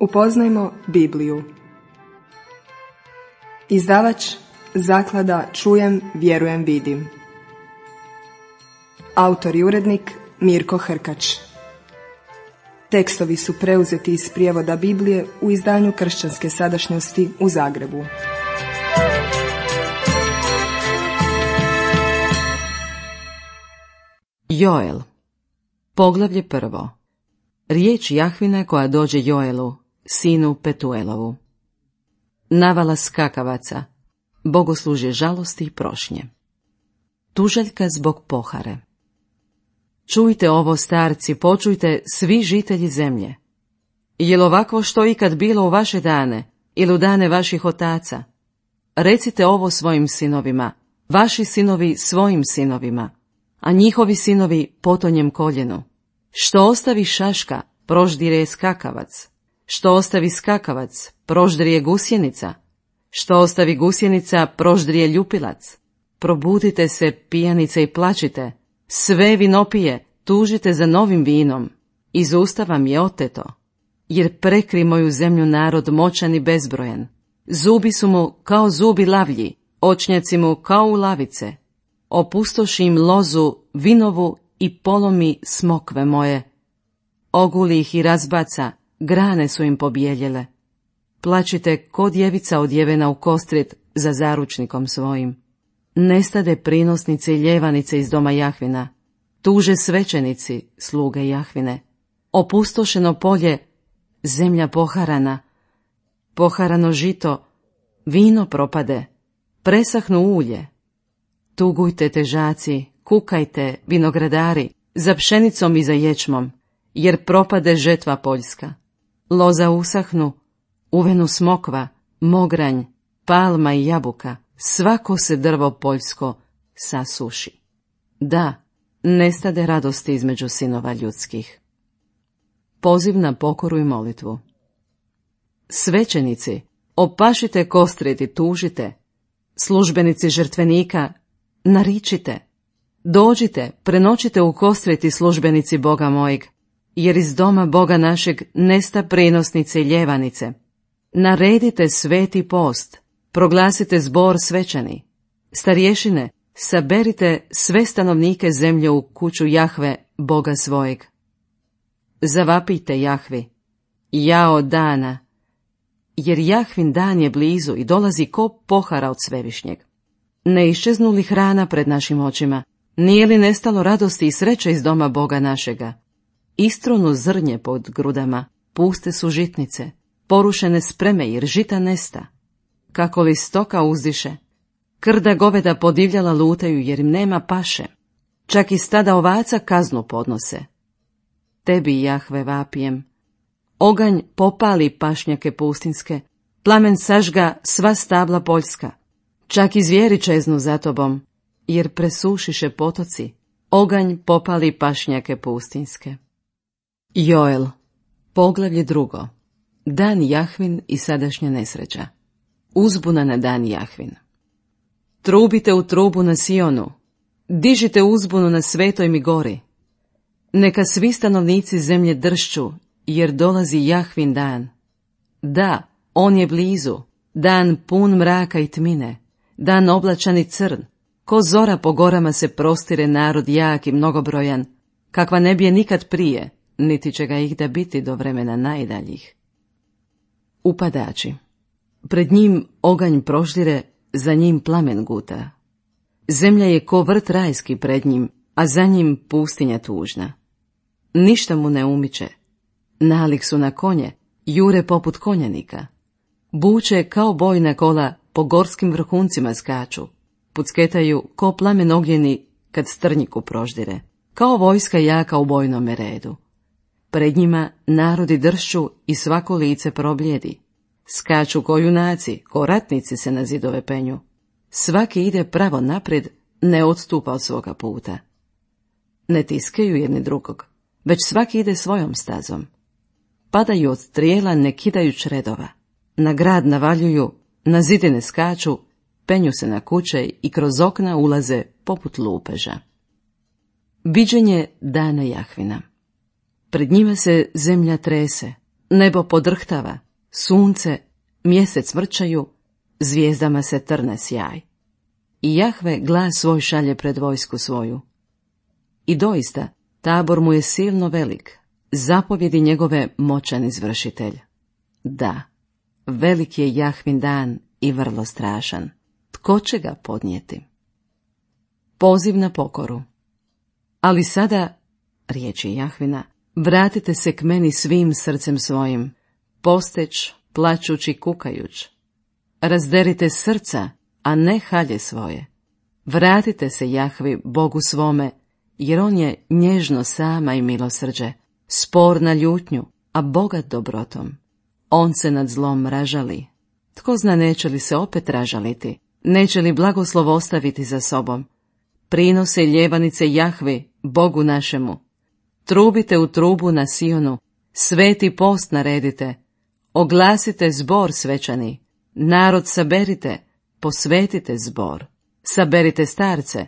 Upoznajmo Bibliju. Izdavač Zaklada Čujem, vjerujem, vidim. Autor i urednik Mirko Hrkač. Tekstovi su preuzeti iz prijevoda Biblije u izdanju Kršćanske sadašnjosti u Zagrebu. Joel. Poglavlje 1. Riječ Jahvina koja dođe Joelu, sinu Petuelovu. Navala skakavaca, bogoslužje žalosti i prošnje. Tužaljka zbog pohare. Čujte ovo, starci, počujte svi žitelji zemlje. Jel ovakvo što ikad bilo u vaše dane ili u dane vaših otaca? Recite ovo svojim sinovima, vaši sinovi svojim sinovima, a njihovi sinovi potonjem koljenu. Što ostavi šaška, proždire skakavac. Što ostavi skakavac, proždrije gusjenica. Što ostavi gusjenica, proždrije ljupilac. Probudite se, pijanice, i plačite. Sve vinopije, tužite za novim vinom. Iz usta vam je oteto. Jer prekri moju zemlju narod moćan i bezbrojen. Zubi su mu kao zubi lavlji, očnjaci mu kao u lavice. Opustoši im lozu, vinovu i polomi smokve moje. Oguli ih i razbaca, grane su im pobijeljele. Plačite ko djevica odjevena u kostrit za zaručnikom svojim. Nestade prinosnice i ljevanice iz doma Jahvina. Tuže svećenici, sluge Jahvine. Opustošeno polje, zemlja poharana. Poharano žito, vino propade, presahnu ulje. Tugujte, težaci, kukajte, vinogradari, za pšenicom i za ječmom, jer propade žetva poljska. Loza usahnu, uvenu smokva, mogranj, palma i jabuka, svako se drvo poljsko sasuši. Da, nestade radosti između sinova ljudskih. Poziv na pokoru i molitvu. Svećenici, opašite kostrit i tužite. Službenici žrtvenika, naričite. Dođite, prenoćite u kostrit službenici Boga mojeg, jer iz doma Boga našeg nesta prinosnice i ljevanice. Naredite sveti post, proglasite zbor svečani. Starješine, saberite sve stanovnike zemlje u kuću Jahve, Boga svojeg. Zavapite Jahvi, jao dana, jer Jahvin dan je blizu i dolazi ko pohara od svevišnjeg. Ne iščeznu li hrana pred našim očima? Nije li nestalo radosti i sreće iz doma Boga našega? Istronu zrnje pod grudama, puste su žitnice, porušene spreme jer žita nesta. Kako li stoka uzdiše? Krda goveda podivljala lutaju jer im nema paše. Čak i stada ovaca kaznu podnose. Tebi, Jahve, vapijem. Oganj popali pašnjake pustinske, plamen sažga sva stabla poljska. Čak i zvijeri čeznu za tobom, jer presušiše potoci, oganj popali pašnjake pustinske. Joel. Poglavlje 2. Dan Jahvin i sadašnja nesreća. Uzbuna na dan Jahvin. Trubite u trubu na Sionu, dižite uzbunu na svetoj mi gori. Neka svi stanovnici zemlje dršću, jer dolazi Jahvin dan. Da, on je blizu, dan pun mraka i tmine, dan oblačan i crn, ko zora po gorama se prostire narod jak i mnogobrojan, kakva ne bije nikad prije, niti će ga ih da biti do vremena najdaljih. Upadači. Pred njim oganj proždire, za njim plamen guta. Zemlja je ko vrt rajski pred njim, a za njim pustinja tužna. Ništa mu ne umiče. Nalik su na konje, jure poput konjanika. Buče kao bojna kola po gorskim vrhuncima skaču. Pucketaju ko plamen ogljeni kad strnjiku proždire. Kao vojska jaka u bojnome redu. Pred njima narodi dršću i svako lice probljedi. Skaču ko junaci, ko ratnici se na zidove penju. Svaki ide pravo naprijed, ne odstupa od svoga puta. Ne tiskaju jedni drugog, već svaki ide svojom stazom. Padaju od strijela ne kidajuć redova. Na grad navaljuju, na zidine skaču, penju se na kuće i kroz okna ulaze poput lupeža. Viđenje dana Jahvina. Pred njima se zemlja trese, Nebo podrhtava, sunce, mjesec vrčaju, zvijezdama se trne sjaj. I Jahve glas svoj šalje pred vojsku svoju. I doista, tabor mu je silno velik, zapovjedi njegove moćan izvršitelj. Da, velik je Jahvin dan i vrlo strašan. Tko će ga podnijeti? Poziv na pokoru. Ali sada, riječi Jahvina, vratite se k meni svim srcem svojim, posteć, plačući, kukajuć. Razderite srca, a ne halje svoje. Vratite se Jahvi, Bogu svome, jer on je nježno sama i milosrđe, spor na ljutnju, a bogat dobrotom. On se nad zlom ražali. Tko zna neće li se opet ražaliti, neće li blagoslov ostaviti za sobom. Prinose ljevanice Jahvi, Bogu našemu. Trubite u trubu na Sionu, sveti post naredite, oglasite zbor svečani, narod saberite, posvetite zbor, saberite starce,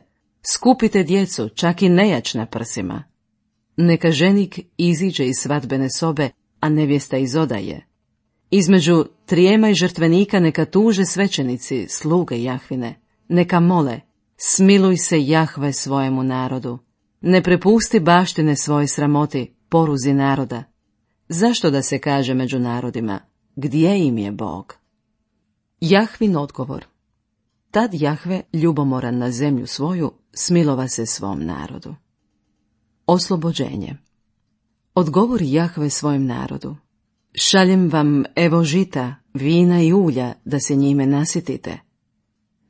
skupite djecu, čak i nejač na prsima. Neka ženik iziđe iz svadbene sobe, a nevjesta iz odaje. Između trijema i žrtvenika neka tuže svećenici, sluge Jahvine, neka mole, smiluj se Jahve svojemu narodu. Ne prepusti baštine svoje sramoti, poruzi naroda. Zašto da se kaže među narodima, gdje im je Bog? Jahvin odgovor. Tad Jahve, ljubomoran na zemlju svoju, smilova se svom narodu. Oslobođenje. Odgovori Jahve svojem narodu. Šaljem vam evo žita, vina i ulja, da se njime nasitite.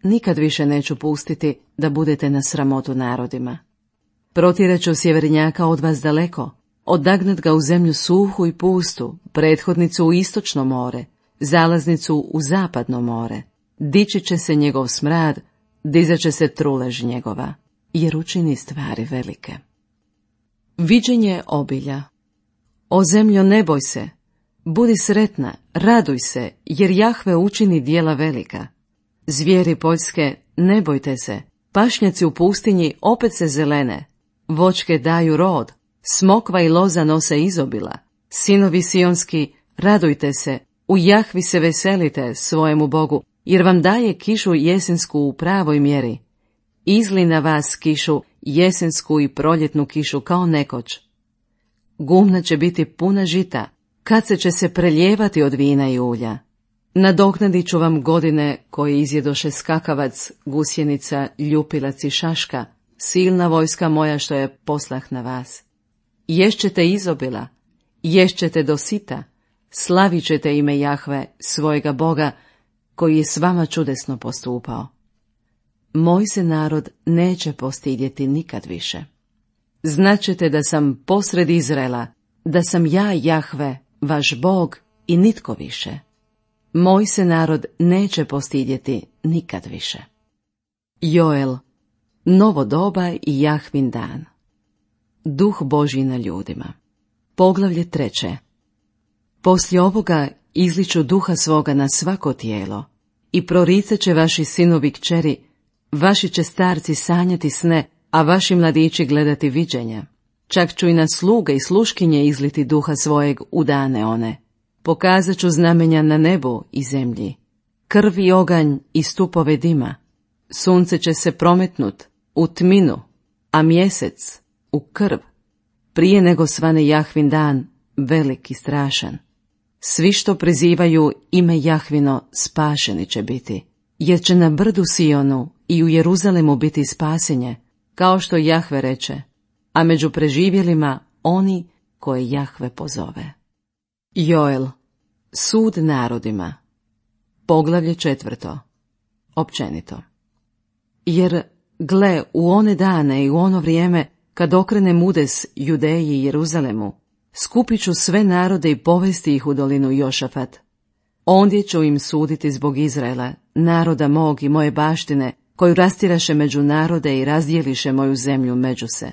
Nikad više neću pustiti da budete na sramotu narodima. Protjerat ću sjevernjaka od vas daleko, odagnat ga u zemlju suhu i pustu, prethodnicu u istočno more, zalaznicu u zapadno more. Dići će se njegov smrad, dizat će se trulež njegova, jer učini stvari velike. Viđenje obilja. O zemljo, ne boj se, budi sretna, raduj se, jer Jahve učini djela velika. Zvijeri poljske, ne bojte se, pašnjaci u pustinji opet se zelene, voćke daju rod, smokva i loza nose izobila, sinovi sionski, radujte se, u Jahvi se veselite svojemu Bogu, jer vam daje kišu jesensku u pravoj mjeri. Izli na vas kišu jesensku i proljetnu kišu kao nekoć. Gumna će biti puna žita, kad će se preljevati od vina i ulja. Nadoknadit ću vam godine koje izjedoše skakavac, gusjenica, ljupilac i šaška, silna vojska moja što je poslah na vas. Ješćete izobila, ješćete do sita, slavit ćete ime Jahve, svojega Boga, koji je s vama čudesno postupao. Moj se narod neće postidjeti nikad više. Znaćete da sam posred Izraela, da sam ja Jahve, vaš Bog i nitko više. Moj se narod neće postidjeti nikad više. Joel, novo doba i Jahvin dan. Duh Božji na ljudima. Poglavlje 3. Poslije ovoga izliču duha svoga na svako tijelo i proricat će vaši sinovi kćeri, vaši će starci sanjati sne, a vaši mladići gledati viđenja. Čak ću i na sluge i sluškinje izliti duha svojeg u dane one. Pokazat ću znamenja na nebu i zemlji, krv i oganj i stupove dima. Sunce će se prometnut u tminu, a mjesec u krv, prije nego svane Jahvin dan, velik i strašan. Svi što prizivaju ime Jahvino spašeni će biti, jer će na brdu Sionu i u Jeruzalemu biti spasenje, kao što Jahve reče, a među preživjelima oni koje Jahve pozove. Joel, sud narodima. Poglavlje 4. Općenito. Jer, gle, u one dane i u ono vrijeme, kad okrenem udes Judeji i Jeruzalemu, skupit ću sve narode i povesti ih u dolinu Jošafat. Ondje ću im suditi zbog Izraela, naroda mog i moje baštine, koju rastiraše među narode i razdjeliše moju zemlju među se.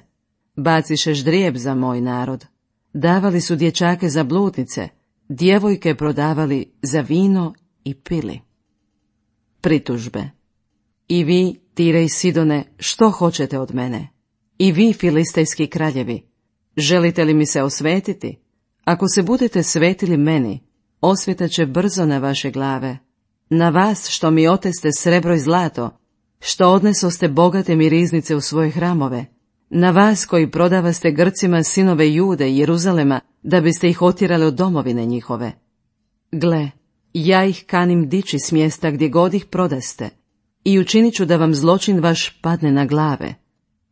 Baciše ždrijeb za moj narod. Davali su dječake za bludnice, djevojke prodavali za vino i pili. Pritužbe. I vi, Tire i Sidone, što hoćete od mene? I vi, filistejski kraljevi, želite li mi se osvetiti? Ako se budete svetili meni, osveta će brzo na vaše glave. Na vas što mi oteste srebro i zlato, što odnesoste bogate mi riznice u svoje hramove, na vas koji prodavaste Grcima sinove Jude i Jeruzalema, da biste ih otjerali od domovine njihove. Gle, ja ih kanim dići s mjesta gdje god ih prodaste, i učinit ću da vam zločin vaš padne na glave.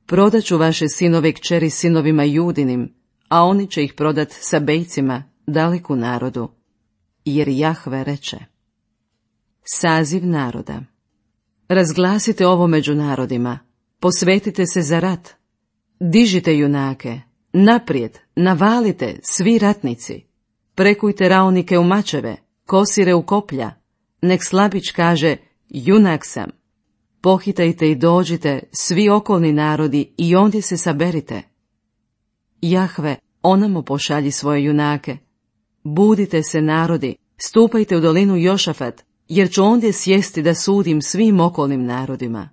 Prodaću vaše sinove i kćeri sinovima Judinim, a oni će ih prodat Sabejcima, daleku narodu. Jer Jahve reče. Saziv naroda. Razglasite ovo među narodima, posvetite se za rat. Dižite junake, naprijed, navalite, svi ratnici. Prekujte raunike u mačeve, kosire u koplja. Nek slabić kaže, junak sam. Pohitajte i dođite, svi okolni narodi, i ondje se saberite. Jahve, onamo pošalji svoje junake. Budite se narodi, stupajte u dolinu Jošafat, jer ću ondje sjesti da sudim svim okolnim narodima.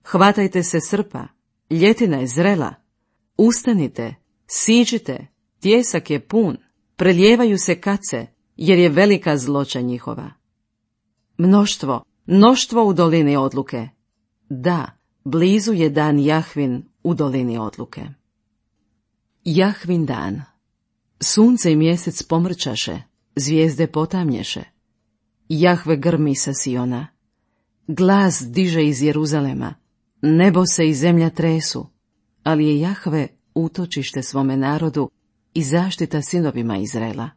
Hvatajte se srpa, ljetina je zrela. Ustanite, siđite, tjesak je pun, preljevaju se kace, jer je velika zloća njihova. Mnoštvo u dolini odluke. Da, blizu je dan Jahvin u dolini odluke. Jahvin dan. Sunce i mjesec pomrčaše, zvijezde potamnješe. Jahve grmi sa Siona. Glas diže iz Jeruzalema, nebo se i zemlja tresu, ali je Jahve utočište svome narodu i zaštita sinovima Izraela.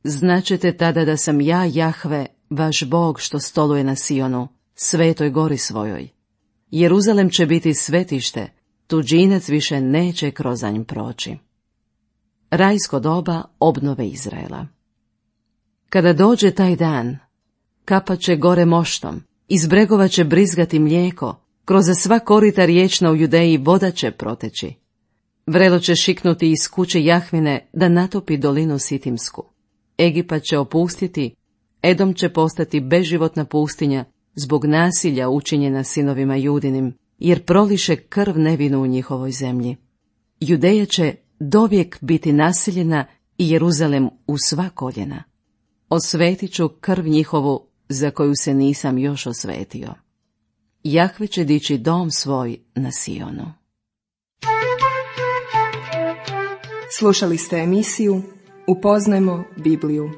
Značete tada da sam ja, Jahve, vaš Bog što stoluje na Sionu, svetoj gori svojoj. Jeruzalem će biti svetište, tuđinac više neće kroz nj proći. Rajsko doba obnove Izraela. Kada dođe taj dan, kapat će gore moštom, iz bregova će brizgati mlijeko, kroz sva korita riječna u Judeji voda će proteći. Vrelo će šiknuti iz kuće Jahvine da natopi dolinu Sitimsku. Egipat će opustiti, Edom će postati beživotna pustinja zbog nasilja učinjena sinovima Judinim, jer proliše krv nevinu u njihovoj zemlji. Judeja će dovijek biti naseljena i Jeruzalem u sva koljena. Osvetit ću krv njihovu za koju se nisam još osvetio. Jahve će dići dom svoj na Sionu. Slušali ste emisiju Upoznajmo Bibliju.